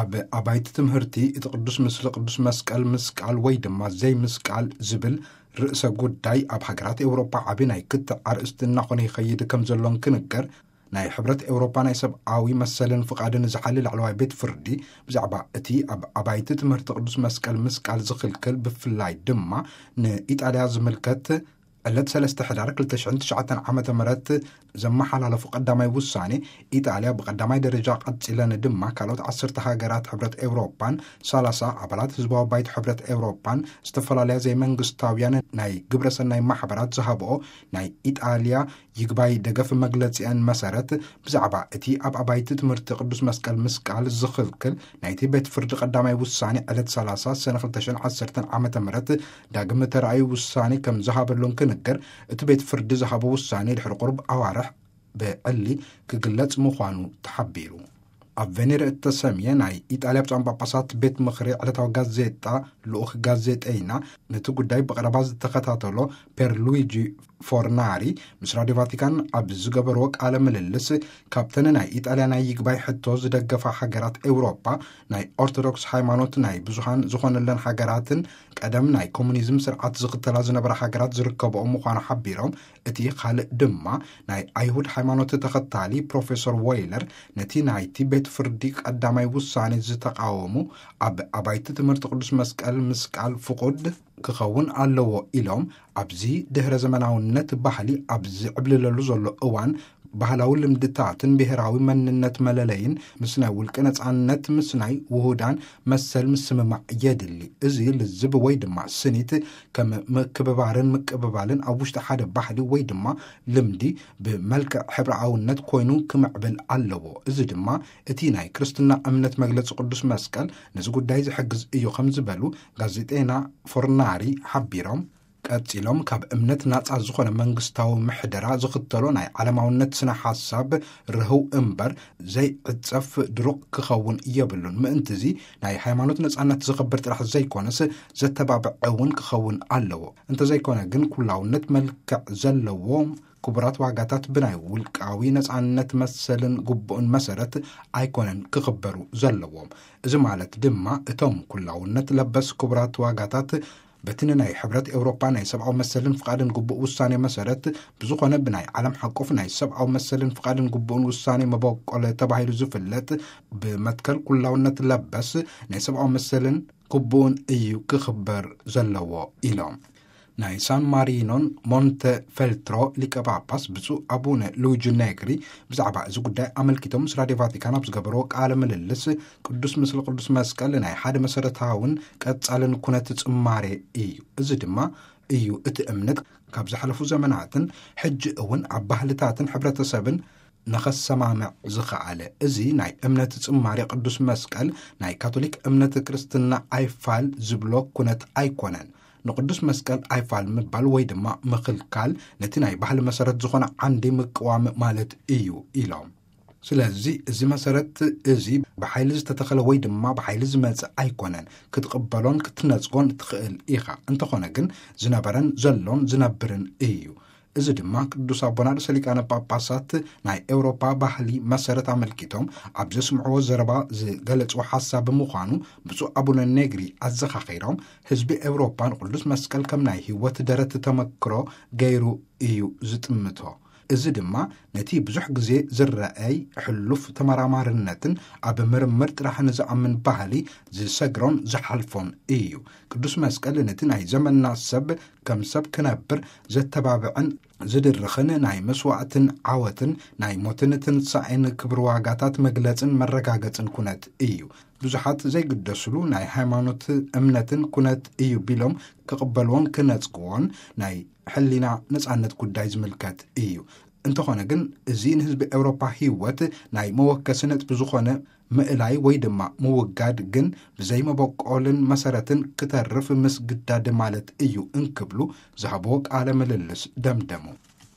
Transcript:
ኣብ ኣባይቲ ትምህርቲ እቲ ቅዱስ ምስሊ ቅዱስ መስቀል ምስቃል ወይ ድማ ዘይምስቃል ዝብል ርእሰ ጉዳይ ኣብ ሃገራት ኤውሮጳ ዓቢ ናይ ክትዕ ኣርእስቲ እናኾነ ይኸይድ ከም ዘሎን ክንገር፣ ናይ ሕብረት ኤውሮጳ ናይ ሰብኣዊ መሰልን ፍቓድን ዝሓሊ ላዕለዋይ ቤት ፍርዲ ብዛዕባ እቲ ኣብ ኣባይቲ ትምህርቲ ቅዱስ መስቀል ምስቃል ዝኽልክል፣ ብፍላይ ድማ ንኢጣልያ ዝምልከት፣ ዕለት ሰለስተ ሕዳር ክልተ ሽሕን ትሽዓተን ዓመተ ምህረት ዘመሓላለፉ ቀዳማይ ውሳኔ፣ ኢጣልያ ብቀዳማይ ደረጃ ቀጺለን ድማ ካልኦት ዓሰርተ ሃገራት ሕብረት ኤውሮጳን ሰላሳ ኣባላት ህዝባዊ ባይቶ ሕብረት ኤውሮጳን ዝተፈላለያ ዘይመንግስታውያን ናይ ግብረሰናይ ማሕበራት ዝሃብኦ ናይ ኢጣልያ ይግባይ ደገፍ መግለጺአን መሰረት፣ ብዛዕባ እቲ ኣብ ኣባይቲ ትምህርቲ ቅዱስ መስቀል ምስቃል ዝኽልክል ናይቲ ቤት ፍርዲ ቀዳማይ ውሳኔ ዕለት ሰላሳ ሰነ ክልተ ሽሕን ዓሰርተን ዓመተ ምህረት ዳግም ተራእዩ ውሳኔ ከም ዝሃበሉን ክንገር፣ እቲ ቤት ፍርዲ ዝሃቦ ውሳኔ ድሕሪ ቁሩብ ኣዋርሕ ብዕሊ ክግለጽ ምዃኑ ተሓቢሩ። ኣብ ቬኔር እተሰምየ ናይ ኢጣልያ ብፁዓን ጳጳሳት ቤት ምኽሪ ዕለታዊ ጋዜጣ ልኡኽ ጋዜጠይና፣ ነቲ ጉዳይ ብቐረባ ዝተኸታተሎ ፔርሉዊጂ ፎርናሪ ምስ ራድዮ ቫቲካን ኣብ ዝገበርዎ ቃለ ምልልስ፣ ካብተን ናይ ኢጣልያ ናይ ይግባይ ሕቶ ዝደገፋ ሃገራት ኤውሮጳ፣ ናይ ኦርቶዶክስ ሃይማኖት ናይ ብዙሃን ዝኾነለን ሃገራትን ቀደም ናይ ኮሙኒዝም ስርዓት ዝኽተላ ዝነበራ ሃገራት ዝርከብኦ ምዃኑ ሓቢሮም፣ እቲ ካልእ ድማ ናይ ኣይሁድ ሃይማኖት ተኸታሊ ፕሮፌሰር ዎይለር ነቲ ናይቲ ቤት ፍርዲ ቀዳማይ ውሳኔ ዝተቃወሙ፣ ኣብ ኣባይቲ ትምህርቲ ቅዱስ መስቀል ምስቃል ፍቑድ ክኸውን ኣለዎ ኢሎም፣ ኣብዚ ድህረ ዘመናውነት ባህሊ ኣብ ዝዕብልለሉ ዘሎ እዋን፣ ባህላዊ ልምድታትን ብሄራዊ መንነት መለለይን ምስ ናይ ውልቂ ነጻነት፣ ምስ ናይ ውሁዳን መሰል ምስምማዕ የድሊ። እዚ ልዝብ ወይ ድማ ስኒት ከም ምክብባርን ምቅብባልን ኣብ ውሽጢ ሓደ ባህሊ ወይ ድማ ልምዲ ብመልክዕ ሕብረኣውነት ኮይኑ ክምዕብል ኣለዎ። እዚ ድማ እቲ ናይ ክርስትና እምነት መግለጺ ቅዱስ መስቀል ነዚ ጉዳይ ዝሕግዝ እዩ ከም ዝበሉ ጋዜጠና ፎርናሪ ሓቢሮም፣ ቀጺሎም፣ ካብ እምነት ናጻ ዝኾነ መንግስታዊ ምሕደራ ዝኽተሎ ናይ ዓለማውነት ስነ ሓሳብ ርህው እምበር ዘይዕጸፍ ድሩቕ ክኸውን የብሉን። ምእንትዚ ናይ ሃይማኖት ነጻነት ዘኽብር ጥራሕ ዘይኮነስ ዘተባብዕ እውን ክኸውን ኣለዎ። እንተዘይኮነ ግን ኩላውነት መልክዕ ዘለዎ ክቡራት ዋጋታት ብናይ ውልቃዊ ነጻነት መሰልን ግቡእን መሰረት ኣይኮነን ክኽበሩ ዘለዎም። እዚ ማለት ድማ እቶም ኩላውነት ለበስ ክቡራት ዋጋታት በቲ ንናይ ሕብረት ኤውሮጳ ናይ ሰብኣዊ መሰልን ፍቓድን ግቡእ ውሳኔ መሰረት ብዝኾነ ብናይ ዓለም ሓቆፍ ናይ ሰብኣዊ መሰልን ፍቓድን ግቡእን ውሳኔ መበቆል ተባሂሉ ዝፍለጥ ብመትከል ኩላውነት ለበስ ናይ ሰብኣዊ መሰልን ግቡእን እዩ ክኽበር ዘለዎ ኢሎም። ናይ ሳን ማሪኖን ሞንተ ፌልትሮ ሊቀ ጳጳስ ብፁዕ ኣቡነ ሉዊጂ ኔግሪ ብዛዕባ እዚ ጉዳይ ኣመልኪቶም ምስ ራድዮ ቫቲካን ኣብ ዝገበርዎ ቃለ ምልልስ፣ ቅዱስ ምስሊ ቅዱስ መስቀል ናይ ሓደ መሰረታውን ቀጻልን ኩነት ጽማሬ እዩ። እዚ ድማ እዩ እቲ እምነት ካብ ዝሓለፉ ዘመናትን ሕጂ እውን ኣብ ባህልታትን ሕብረተሰብን ንኸሰማምዕ ዝኸኣለ። እዚ ናይ እምነት ጽማሬ ቅዱስ መስቀል ናይ ካቶሊክ እምነት ክርስትና ኣይፋል ዝብሎ ኩነት ኣይኮነን። ንቅዱስ መስቀል ኣይፋል ምባል ወይ ድማ ምኽልካል ነቲ ናይ ባህሊ መሰረት ዝኾነ ዓንዲ ምቅዋም ማለት እዩ ኢሎም። ስለዚ እዚ መሰረት እዚ ብሓይሊ ዝተተኸለ ወይ ድማ ብሓይሊ ዝመጽእ ኣይኮነን። ክትቕበሎን ክትነጽጎን ትኽእል ኢኻ። እንተኾነ ግን ዝነበረን ዘሎን ዝነብርን እዩ። እዚ ድማ ቅዱስ ኣቦና ርእሰ ሊቃነ ጳጳሳት ናይ ኤውሮፓ ባህሊ መሰረት ኣመልኪቶም ኣብ ዘስምዕዎ ዘረባ ዝገለጽዎ ሓሳብ ብምዃኑ፣ ብፁዕ ኣቡነ ኔግሪ ኣዘኻኺሮም፣ ህዝቢ ኤውሮፓ ንቅዱስ መስቀል ከም ናይ ህይወት ደረት ተመክሮ ገይሩ እዩ ዝጥምቶ። እዚ ድማ ነቲ ብዙሕ ግዜ ዝረኣይ ሕሉፍ ተመራማርነትን ኣብ ምርምር ጥራሕን ዝኣምን ባህሊ ዝሰግሮን ዝሓልፎን እዩ። ቅዱስ መስቀል ነቲ ናይ ዘመንና ሰብ ከም ሰብ ክነብር ዘተባብዕን ዝድርኽን ናይ መስዋዕትን ዓወትን ናይ ሞትን ትንሳኤን ክብሪ ዋጋታት መግለጽን መረጋገጽን ኩነት እዩ። ብዙሓት ዘይግደስሉ ናይ ሃይማኖት እምነትን ኩነት እዩ ቢሎም ክቕበልዎን ክነጽግዎን ናይ ሕሊና ነጻነት ጉዳይ ዝምልከት እዩ። እንተኾነ ግን እዚ ንህዝቢ ኤውሮፓ ህይወት ናይ መወከሲ ነጥቢ ዝኾነ ምእላይ ወይ ድማ ምውጋድ ግን ብዘይ መበቆልን መሰረትን ክተርፍ ምስግዳድ ማለት እዩ እንክብሉ ዝሃብዎ ቃለ ምልልስ ደምደሙ።